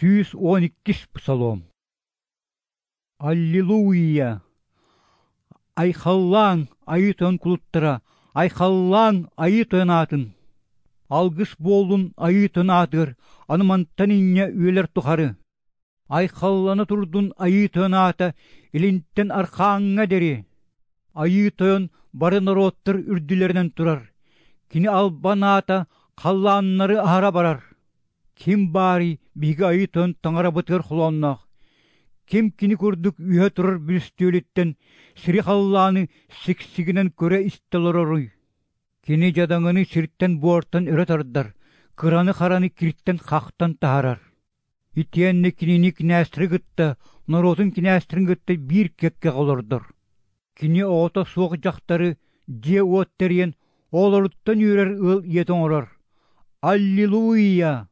112 псалом. Аллилуйя! Айхаллаң айытын кулуттара, айхаллаң айытын атын. Алгыс болдун айытын атыр, анымантан инне үйлер тухары. Айхалланы турдун айытын ата, илинттен аркаңа дери. Айытын бары народтар үрдүлеринен турар. Кини албан ата, каллааннары ара барар. Ким бари биги айытын таңара бытыр хулоннақ. Ким кини көрдүк үйе турар бүлістөліттен, сири халлааны сиксигинен көре истелороруй. Кини жадаңыны сирттен буортан өрө тардар, кыраны хараны кирттен хақтан тахарар. Итиенне кинини кинәстірі гытта, народын кинәстірін гытта бир кекке қолордыр. Кини оғыта суық жақтары же уоттериен, оларуттан үйрер ыл етін орар. Аллилуйя!